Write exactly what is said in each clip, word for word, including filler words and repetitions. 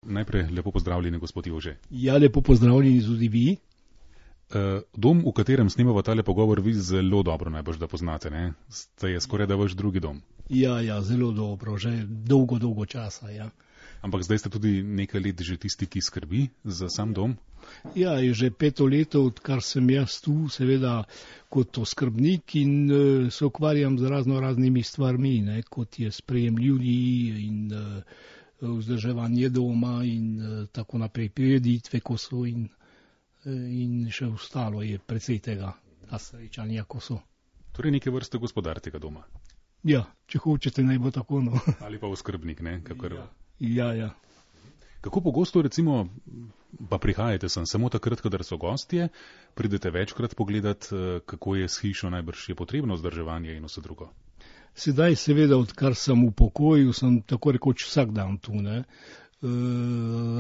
Najprej lepo pozdravljeni, gospod Jože. Ja, lepo pozdravljeni tudi vi. Dom, v katerem snemamo tale pogovor, vi zelo dobro najbrž da poznate, ne? To je skoraj da vaš drugi dom. Ja, ja, zelo dobro, že dolgo, dolgo časa, ja. Ampak zdaj ste tudi nekaj let že tisti, ki skrbi za sam dom? Ja, je že peto leto, odkar sem jaz tu, seveda kot oskrbnik in uh, se ukvarjam z razno raznimi stvarmi, ne, kot je sprejem ljudi in uh, vzdrževanje doma in uh, tako naprej, prireditve, ko so in, uh, in še ostalo je precej tega, ta srečanja, ko so. Torej neke vrste gospodar tega doma? Ja, če hočete, naj bo tako, no. Ali pa oskrbnik, ne? Kakor... Ja, ja, ja. Kako pogosto recimo pa prihajate sem? Samo takrat, kadar so gostje, pridete večkrat pogledat, kako je s hišo, najbrž je potrebno vzdrževanje in vse drugo? Sedaj seveda, odkar sem v pokoju, sem tako rekoč vsak dan tu, ne. E,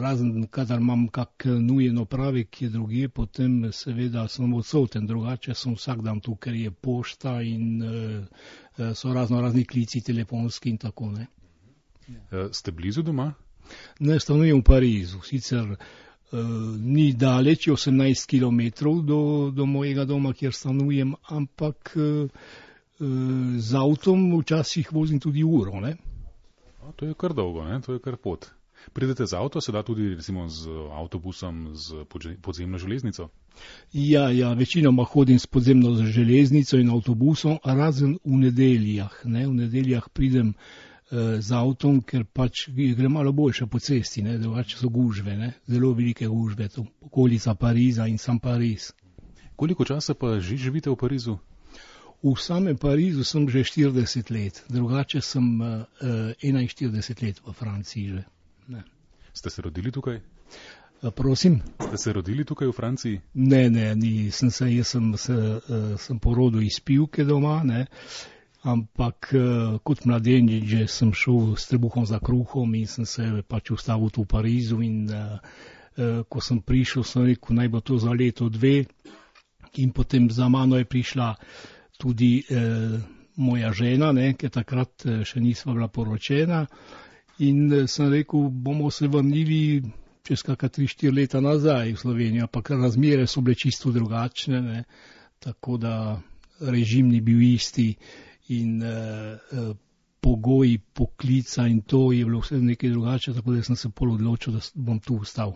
razen, kadar imam kak nujen opravek, je drugje, potem seveda sem odsoten, drugače sem vsak dan tu, ker je pošta in e, so razno razni klici telefonski in tako, ne. E, ste blizu doma? Ne, stanujem v Parizu, sicer uh, ni daleč, osemnajst kilometrov do, do mojega doma, kjer stanujem, ampak uh, uh, z avtom včasih vozim tudi uro, ne. A, to je kar dolgo, ne, to je kar pot. Pridete z avto, se da tudi recimo z avtobusom, z podzemno železnico? Ja, ja, večinoma hodim s podzemno železnico in avtobusom, razen v nedeljah, ne, v nedeljah pridem z avtom, ker pač gre malo boljše po cesti, ne, drugače so gužve, ne, zelo velike gužve, to okolica Pariza in sam Pariz. Koliko časa pa že živite v Parizu? V samem Parizu sem že štirideset let, drugače sem uh, enainštirideset let v Franciji že. Ne. Ste se rodili tukaj? Uh, prosim? Ste se rodili tukaj v Franciji? Ne, ne, ni, sem se, jaz sem, se, uh, sem porodil iz Pivke doma, ne. Ampak uh, kot mladenič že sem šel s trebuhom za kruhom in sem se pač ustavil tu v Parizu in uh, uh, ko sem prišel, sem rekel, naj bo to za leto, dve in potem za mano je prišla tudi uh, moja žena, ne, ker takrat uh, še nisva bila poročena in uh, sem rekel, bomo se vrnili čez kakšna tri, štiri leta nazaj v Slovenijo, ampak razmere so bile čisto drugačne, ne, tako da režim ni bil isti. In uh, uh, pogoji poklica in to je bilo vse nekaj drugače, tako da sem se pol odločil, da bom tu ostal.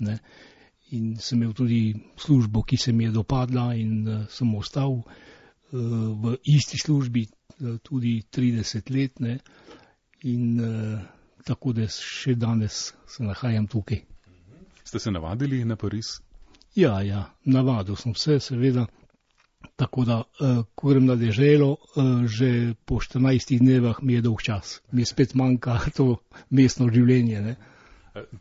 Ne. In sem imel tudi službo, ki se mi je dopadla in uh, sem ostal uh, v isti službi uh, tudi trideset let, ne. In uh, tako da še danes se nahajam tukaj. Ste se navadili na Pariz? Ja, ja, navadil sem se, seveda. Tako da, uh, ko grem na deželo, uh, že po štirinajstih dnevah mi je dolg čas. Mi spet manjka to mestno življenje, ne.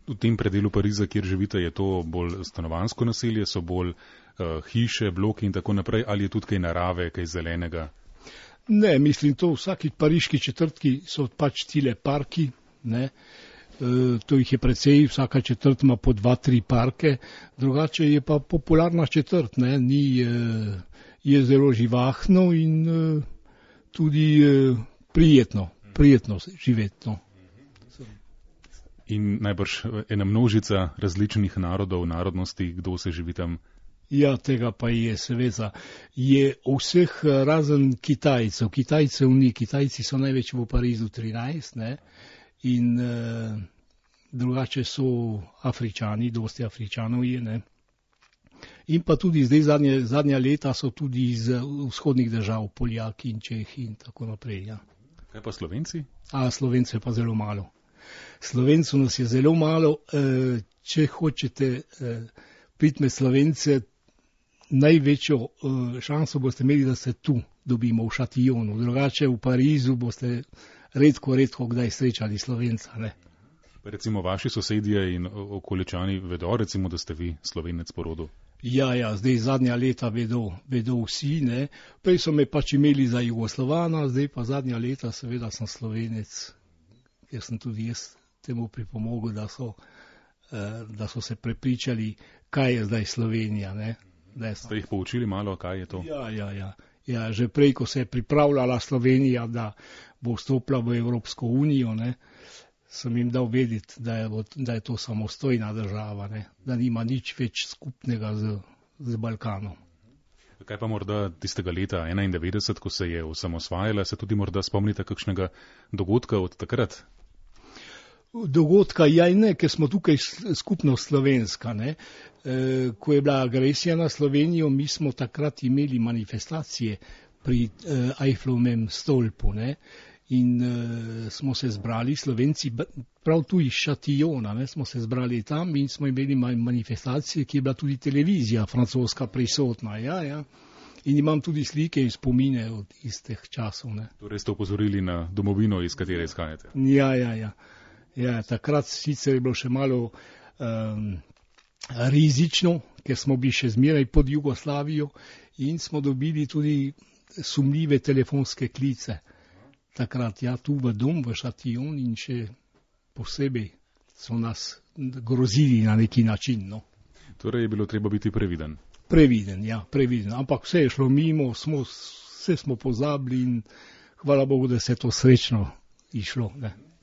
V tem predelu Pariza, kjer živite, je to bolj stanovanjsko naselje, so bolj uh, hiše, bloki in tako naprej, ali je tudi kaj narave, kaj zelenega? Ne, mislim, to vsaki pariški četrtki so pač tile parki, ne. Uh, to jih je precej, vsaka četrt ima po dva, tri parke, drugače je pa popularna četrt, ne, ni... Uh, je zelo živahno in uh, tudi uh, prijetno, prijetno živeti. No. In najbrž ena množica različnih narodov, narodnosti, kdo se živi tam? Ja, tega pa je, seveda. Je vseh razen Kitajcev. Kitajcev ni, Kitajci so največ v Parizu trinajst, ne, in uh, drugače so Afričani, dosti Afričanov je, ne. In pa tudi zdaj zadnje, zadnja leta so tudi iz vzhodnih držav, Poljaki in Čehi in tako naprej. Ja. Kaj pa Slovenci? A, Slovencev je pa zelo malo. Slovencev nas je zelo malo. E, če hočete e, priti med Slovence, največjo e, šanso boste imeli, da se tu dobimo v Šatijonu. Drugače v Parizu boste redko, redko kdaj srečali Slovenca. Ne. Recimo vaši sosedje in okoličani vedo, recimo, da ste vi Slovenec po rodu? Ja, ja, zdaj zadnja leta vedo, vedo vsi, ne. Prej so me pač imeli za Jugoslovana, zdaj pa zadnja leta seveda sem Slovenec, ker sem tudi jaz temu pripomogel, da so, eh, da so se prepričali, kaj je zdaj Slovenija, ne. Ste jih poučili malo, kaj je to? Ja, ja, ja. Ja, že prej, ko se je pripravljala Slovenija, da bo vstopila v Evropsko unijo, ne, sem jim dal vedeti, da je, da je to samostojna država, ne? Da nima nič več skupnega z, z Balkanom. Kaj pa morda tistega leta enaindevetdeset, ko se je osamosvajala, se tudi morda spomnite kakšnega dogodka od takrat? Dogodka ja in ne, ker smo tukaj skupno slovenska. Ne? E, ko je bila agresija na Slovenijo, mi smo takrat imeli manifestacije pri e, Eifflovem stolpu. Ne? In uh, smo se zbrali, Slovenci, prav tu iz Šatijona, ne, smo se zbrali tam in smo imeli manifestacije, ki je bila tudi televizija francoska prisotna. Ja, ja. In imam tudi slike in spomine od istih časov. Ne. Torej ste opozorili na domovino, iz katere izhajate? Ja, ja, ja. ja takrat sicer je bilo še malo um, rizično, ker smo bili še zmeraj pod Jugoslavijo in smo dobili tudi sumljive telefonske klice. Takrat, ja, tu v dom, v Šatijon in še posebej so nas grozili na neki način. No. Torej je bilo treba biti previden. Previden, ja, previden. Ampak vse je šlo mimo, smo, vse smo pozabili in hvala Bogu, da se je to srečno išlo. Ne.